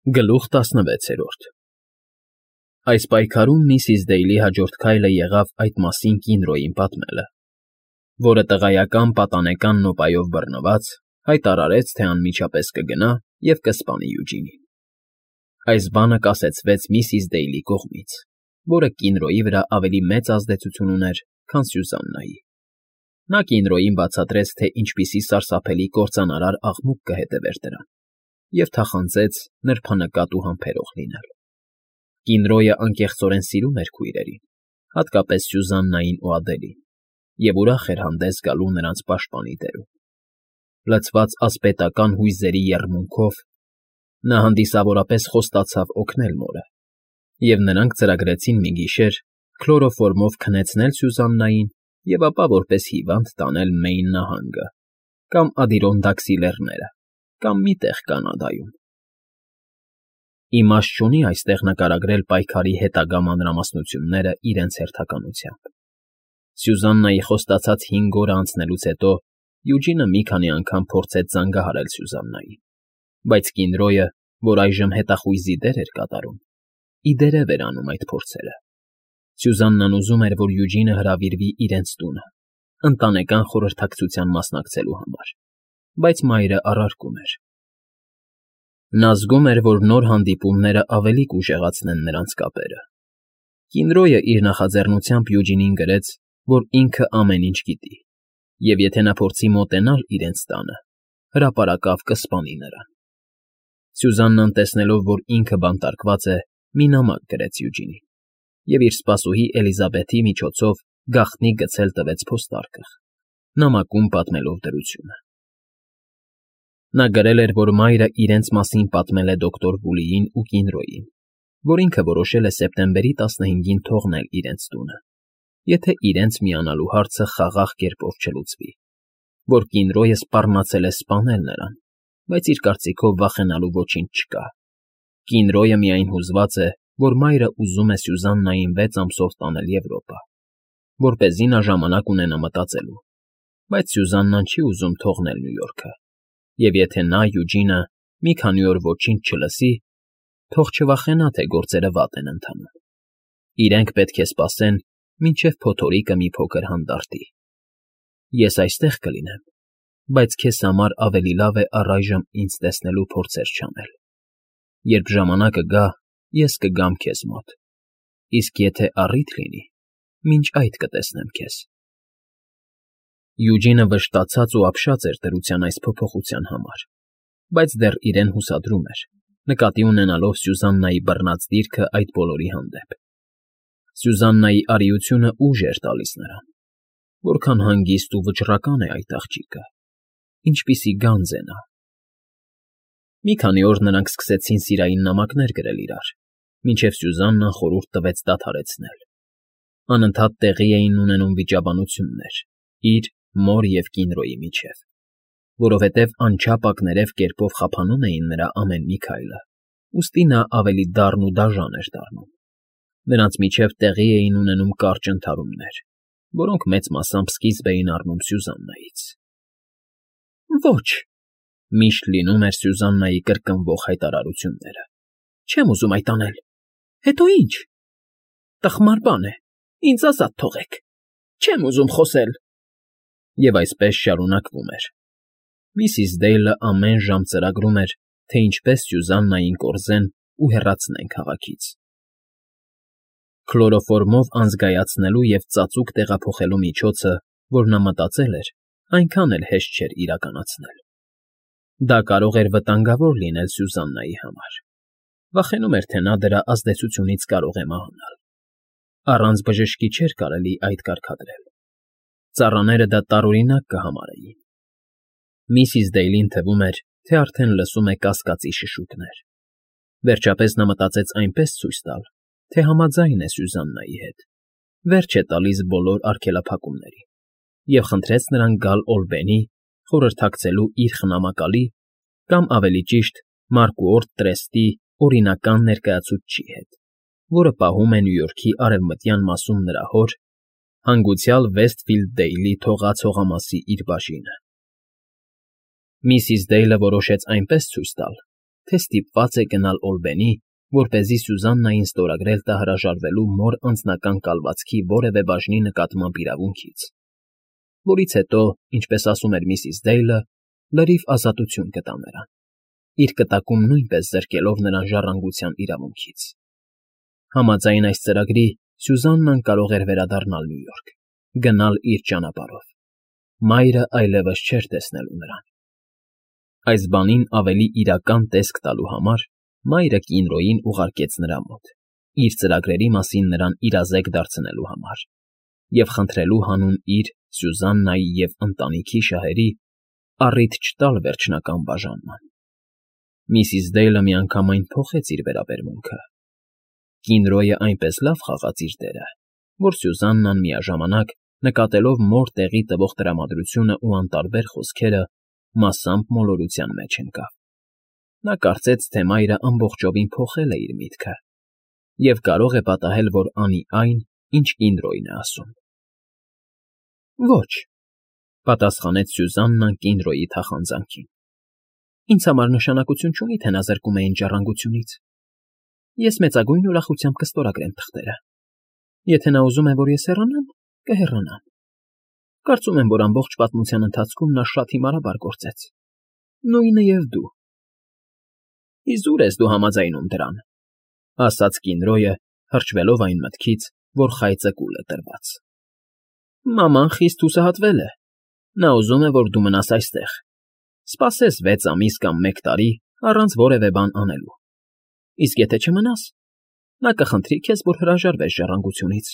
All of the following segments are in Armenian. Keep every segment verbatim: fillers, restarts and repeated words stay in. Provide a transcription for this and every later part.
Գլուխ տասնվեցերորդ Այս պայքարում միսիս Դեյլի հաջորդ քայլը եղավ այդ մասին Կինրոյին պատմելը, որը տղայական պատանեկան նոպայով բռնված, հայտարարեց, թե անմիջապես կգնա և կսպանի Յուջինին։ Այս բանը կասեցվեց միսիս Դեյլի կողմից, որը Կինրոյի վրա ավելի մեծ ազդեցություն ուներ, քան Սյուզաննայի։ Նա Կինրոյին բացատրեց, թե ինչպիսի սարսափելի կործանարար աղմուկ կհետևեր դրան, և թախանձեց նրբանկատ ու համբերող լինել։ Կինրոյը անկեղծորեն սիրում էր քույրերին, հատկապես Սյուզաննային ու Ադելին, և ուրախ էր հանդես գալու նրանց պաշտպանի դերում։ Լցված ասպետական հույզերի եռմունքով՝ նա հանդիսավորապես խոստացավ օգնել մորը, և նրանք ծրագրեցին մի գիշեր քլորոֆորմով քնեցնել Սյուզաննային և ապա որպես հիվանդ տանել Մեյն նահանգը կամ Ադիրոնդաքսի լեռները կամ մի տեղ Կանադայում։ Իմաստ չունի այստեղ նկարագրել պայքարի հետագա մանրամասնությունները իրենց հերթականությամբ։ Սյուզաննայի խոստացած հինգ օրը անցնելուց հետո Յուջինը մի քանի անգամ փորձեց զանգահարել Սյուզաննային, բայց Կինրոյը, որ այժմ հետախույզի դեր էր կատարում, ի դերև էր անում այդ փորձերը։ Սյուզաննան ուզում էր, որ Յուջինը հրավիրվի իրենց տունը, ընտանեկան խորհրդակցության մասնակցելու համար, բայց մայրը առարկում էր։ Նա զգում էր, որ նոր հանդիպումները ավելի կուժեղացնեն նրանց կապերը։ Կինրոյը իր նախաձեռնությամբ Յուջինին գրեց, որ ինքը ամեն ինչ գիտի, և եթե նա փորձի մոտենալ իրենց տանը, հրապարակավ կսպանի նրան։ Սյուզաննան, տեսնելով, որ ինքը բանտարկված է, մի նամակ գրեց Յուջինին և իր սպասուհի Էլիզաբեթի միջոցով գաղտնի գցել տվեց փոստարկղ, նամակում պատմելով դրությունը։ Նա գրել էր, որ մայրը իրենց մասին պատմել է դոկտոր Վուլիին ու Կինրոյին, որ ինքը որոշել է սեպտեմբերի տասնհինգին թողնել իրենց տունը, եթե իրենց միանալու հարցը խաղաղ կերպով չլուծվի, որ Կինրոյը սպառնացել է սպանել նրան, բայց իր կարծիքով վախենալու ոչինչ չկա։ Կինրոյը միայն հուզված է, որ մայրը ուզում է Սյուզաննային վեց ամսով տանել Եվրոպա, որպեսզի նա ժամանակ ունենա մտածելու, բայց Սյուզաննան չի ուզում թողնել Նյու Յորքը, և եթե նա, Յուջինը, մի քանի օր ոչինչ չլսի, թող չվախենա, թե գործերը վատ են ընթանում։ Իրենք պետք է սպասեն, մինչև փոթորիկը մի փոքր հանդարտի։ Ես այստեղ կլինեմ, բայց քեզ համար ավելի լավ է առայժմ ինձ տեսնելու փորձեր չանել։ Երբ ժամանակը գա, ես կգամ քեզ մոտ, իսկ եթե առիթ լինի, մինչ այդ կտեսնեմ քեզ։ Յուջինը վշտացած ու ապշած էր դրության այս փոփոխության համար, բայց դեռ իրեն հուսադրում էր, նկատի ունենալով Սյուզաննայի բռնած դիրքը այդ բոլորի հանդեպ։ Սյուզաննայի արիությունը ուժ էր տալիս նրան, որքան հանգիստ ու վճռական է այդ աղջիկը, ինչպիսի գանձ է նա։ Մի քանի օր նրանք սկսեցին սիրային նամակներ գրել իրար, մինչև Սյուզաննան խորհուրդ տվեց դադարեցնել։ Անընդհատ տեղի էին ունենում վիճաբանություններ իր, մոր և Կինրոյի միջև, որովհետև անչափ ակներև կերպով խափանում էին նրա ամեն մի քայլը, ուստի նա ավելի դառն ու դաժան էր դառնում։ Նրանց միջև տեղի էին ունենում կարճ ընդհարումներ, որոնք մեծ մասամբ սկիզբ էին առնում Սյուզաննայից։ Ոչ, միշտ լինում էր Սյուզաննայի կրկնվող հայտարարությունները։ Չեմ ուզում այդ անել։ Հետո ի՞նչ։ Տխմար բան է, ինձ ազատ թողեք։ Չեմ ուզում խոսել։ Եվ այսպես շարունակվում էր։ Միսիս Դեյլը ամեն ժամ ծրագրում էր, թե ինչպես Սյուզաննային կորզեն ու հեռացնեն քաղաքից։ Քլորոֆորմով անզգայացնելու և ծածուկ տեղափոխելու միջոցը, որ նա մտածել էր, այնքան էլ հեշտ չէր իրականացնել։ Դա կարող էր վտանգավոր լինել Սյուզաննայի համար։ Վախենում էր, թե նա դրա ազդեցությունից կարող է մահանալ։ Առանց բժշկի չէր կարելի այդ կարգադրել։ Ծառաները դա տարօրինակ կհամարեին։ Միսիս Դեյլին թվում էր, թե արդեն լսում է կասկածի շշուկներ։ Վերջապես նա մտածեց այնպես ցույց տալ, թե համաձայն է Սյուզաննայի հետ, վերջ է տալիս բոլոր արգելափակումներին, և խնդրեց նրան գալ Օլբենի, խորհրդակցելու իր խնամակալի, կամ ավելի ճիշտ, Մարկուորտ Տրեստի օրինական ներկայացուցչի հետ, որը պահում է Նյու Յորքի արևմտյան մասում նրա հոր, հանգուցյալ Վեսթֆիլդ Դեյլի թողած հողամասի իր բաժինը։ Միսիս Դեյլը որոշեց այնպես ցույց տալ, թե ստիպված է գնալ Օլբենի, որպեսզի Սյուզաննային ստորագրել տա հրաժարվելու մոր անձնական կալվածքի որևէ բաժնի նկատմամբ իրավունքից, որից հետո, ինչպես ասում էր միսիս Դեյլը, լրիվ ազատություն կտա նրան, իր կտակում նույնպես զրկելով նրան ժառանգության իրավունքից։ Համաձայն այս ծրագրի Սյուզաննան կարող էր վերադառնալ Նյու Յորք, գնալ իր ճանապարհով։ Մայրը այլևս չէր տեսնելու նրան։ Այս բանին ավելի իրական տեսք տալու համար մայրը Կինրոյին ուղարկեց նրա մոտ, իր ծրագրերի մասին նրան իրազեկ դարձնելու համար և խնդրելու հանուն իր, Սյուզաննայի և ընտանիքի շահերի առիթ չտալ վերջնական բաժանման։ Միսիս Դեյլը միանգամայն փոխեց իր վերաբերմունքը։ Կինրոյը այնպես լավ խաղաց իր դերը, որ Սյուզաննան միաժամանակ, նկատելով մոր տեղի տվող տրամադրությունն ու անտարբեր խոսքերը, մասամբ մոլորության մեջ ընկավ։ Նա կարծեց, թե մայրը ամբողջովին փոխել է իր միտքը և կարող է պատահել, որ անի այն, ինչ Կինրոյն է ասում։ Ոչ, պատասխանեց Սյուզաննան Կինրոյի թախանձանքին։ Ինձ համար նշանակություն չունի, թե նա զրկում է ինձ ժառանգությունից։ Ես մեծագույն ուրախությամբ կստորագրեմ թղթերը։ Եթե նա ուզում է, որ ես հեռանամ, կհեռանամ։ Կարծում եմ, որ ամբողջ պատմության ընթացքում նա շատ հիմարաբար գործեց։ Նույնը և դու։ Իզուր ես դու համաձայնում դրան, ասաց Կինրոյը, հրճվելով այն մտքից, որ խայծը կուլ է տրված։ Մաման խիստ հուսահատվել է։ Նա ուզում է, որ դու մնաս այստեղ, սպասես վեց ամիս կամ մեկ տարի առանց որևէ բան անելու։ Իսկ եթե չմնաս, նա կխնդրի քեզ, որ հրաժարվես ժառանգությունից։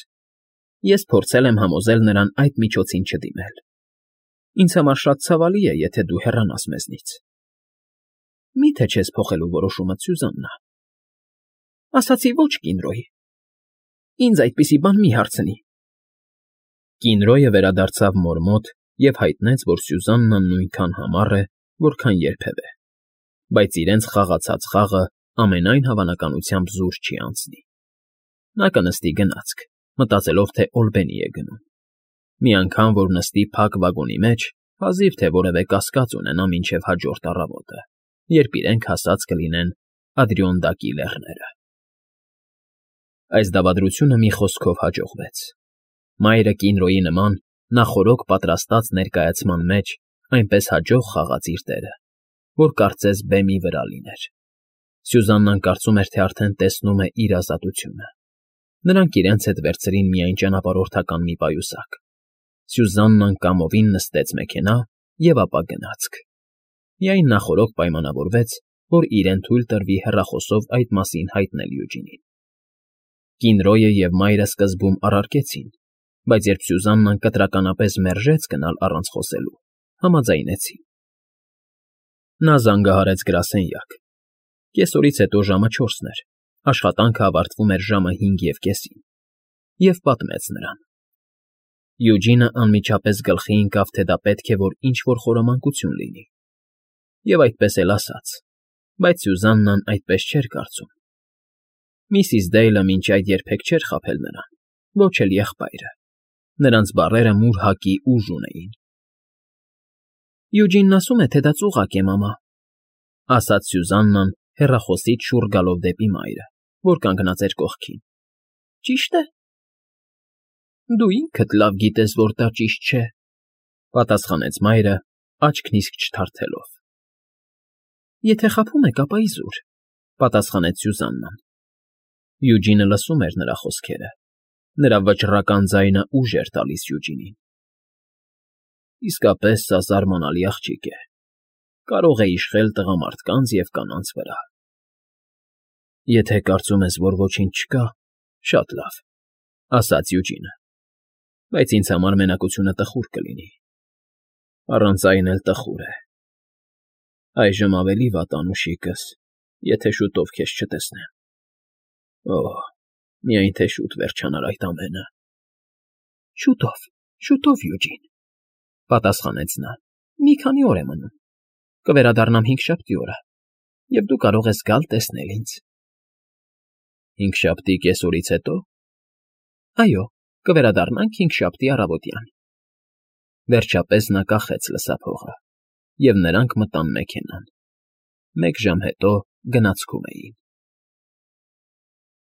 Ես փորձել եմ համոզել նրան այդ միջոցին չդիմել։ Ինձ համար շատ ցավալի է, եթե դու հեռանաս մեզնից։ Մի՞թե չես փոխելու որոշումդ, Սյուզաննա։ Ասացի ոչ Կինրոյ։ Ինձ այդպիսի բան մի հարցնի։ Կինրոյը վերադարձավ մոր մոտ և հայտնեց, որ Սյուզաննան նույնքան համառ է, որքան երբևէ, բայց իրենց խաղացած խաղը ամենայն հավանականությամբ զուր չի անցնի։ Նա կնստի գնացք, մտածելով, թե Օլբենի է գնում։ Մի անգամ, որ նստի փակ վագոնի մեջ, հազիվ թե որևէ կասկած ունենա մինչև հաջորդ առավոտը, երբ իրենք հասած կլինեն Ադրիոնդակի լեռները։ Այս դավադրությունը մի խոսքով հաջողվեց։ Մայրը Կինրոյի նման նախօրոք պատրաստած ներկայացման մեջ այնպես հաջող խաղաց իր դերը, որ կարծես բեմի վրա լիներ։ Սյուզաննան կարծում էր, թե արդեն տեսնում է իր ազատությունը։ Նրանք իրենց հետ վերցրին միայն ճանապարհորդական մի պայուսակ։ Սյուզաննան կամովին նստեց մեքենա և ապա գնացք։ Միայն նախօրոք պայմանավորվեց, որ իրեն թույլ տրվի հեռախոսով այդ մասին հայտնել Յուջինին։ Կինրոյը և մայրը սկզբում առարկեցին, բայց երբ Սյուզաննան կտրականապես մերժեց գնալ առանց խոսելու, համաձայնեցին։ Նա զանգահարեց գրասենյակ։ Կեսօրից հետո ժամը չորսն էր, աշխատանքը ավարտվում էր ժամը հինգ և կեսին, և պատմեց նրան։ Յուջինը անմիջապես գլխի ընկավ, թե դա պետք է որ ինչ֊որ խորամանկություն լինի։ Եվ այդպես էլ ասաց, բայց Սյուզաննան այդպես չէր կարծում։ Միսիս Դեյլը մինչ այդ երբեք չէր խաբել նրան, ոչ էլ եղբայրը։ Նրանց բառերը մուր հակի ուժ ունեին։ Յուջինն ասում է, թե դա ծուղակ է, մամա, ասաց Սյուզաննան հեռախոսից շուռ գալով դեպի մայրը, որ կանգնած էր կողքին։ Ճի՞շտ է։ Դու ինքդ լավ գիտես, որ դա ճիշտ չէ, պատասխանեց մայրը, աչքն իսկ չթարթելով։ Եթե խաբում եք, ապա իզուր, պատասխանեց Սյուզաննան։ Յուջինը լսում էր նրա խոսքերը։ Նրա վճռական ձայնը ուժ էր տալիս Յուջինին։ Իսկապես սա զարմանալի աղջիկ է։ Կարող է իշխել տղամարդկանց և կանանց վրա։ Եթե կարծում ես, որ ոչինչ չկա, շատ լավ, ասաց Յուջինը, բայց ինձ համար մենակությունը տխուր կլինի։ Առանց այն էլ տխուր է։ Այժմ ավելի վատ անուշիկս, եթե շուտով քեզ չտեսնեմ։ Օհ, միայն թե շուտ վերջանար այդ ամենը։ Շուտով, շուտով, Յուջին, պատասխանեց նա։ Մի քանի օր է մնում։ Կվերադառնամ հինգշաբթի օրը, և դու կարող ես գալ տեսնել ինձ։ Հինգշաբթի կեսօրից հետո։ Այո, կվերադառնանք հինգշաբթի առավոտյան։ Վերջապես նա կախեց լսափողը, և նրանք մտան մեքենան։ Մեկ ժամ հետո գնացքում էին։